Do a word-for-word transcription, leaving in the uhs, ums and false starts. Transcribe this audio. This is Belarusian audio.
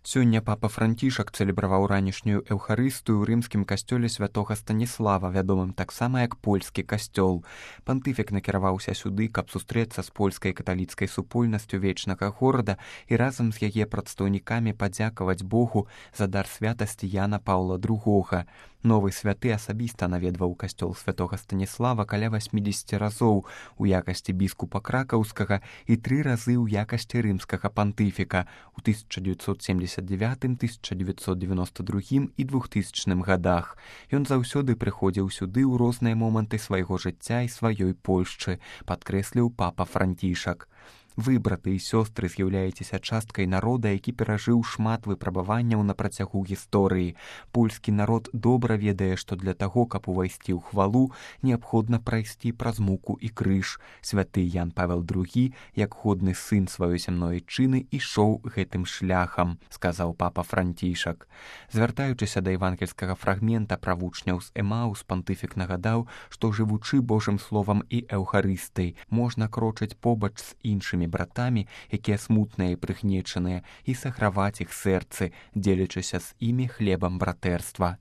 Сёння папа Францішак цэлебраваў ранішнюю эўхарыстыю ў рымскім касцёле святога Станіслава, вядомым таксама як польскі касцёл. Пантыфік накіраваўся сюды, каб сустрэцца з польскай каталіцкай супольнасцю вечнага горада і разам з яе прадстаўнікамі падзякаваць Богу за дар святасці Яна Паўла другога. Новы святы асабіста наведваў касцёл святога Станіслава каля васьмідзесяці разоў у якасці біскупа кракаўскага і тры разы ў якасці рымскага пантыфіка у тысяча дзевяцьсот семдзесят дзевятым, тысяча дзевяцьсот девяносто другім і двухтысячным гадах. Ён заўсёды прыходзіў сюды ў розныя моманты свайго жыцця і сваёй Польшчы, падкрэсліў папа Францішак. Вы, браты і сёстры, з'яўляецеся часткай народа, які перажыў шмат выпрабаванняў на працягу гісторыі. Польскі народ добра ведае, што для таго, каб увайсці ў хвалу, неабходна прайсці праз муку і крыж. Святы Ян Павел другі, як годны сын сваёй зямной айчыны, ішоў гэтым шляхам, сказаў папа Францішак. Звяртаючыся да евангельскага фрагмента пра вучняў з Эмаус, пантыфік нагадаў, што жывучы Божым словам і эўхарыстыяй, можна крочыць побач з іншымі братамі, якія смутныя і прыгнечаныя, і саграваць іх сэрцы, дзелячыся з імі хлебам братэрства.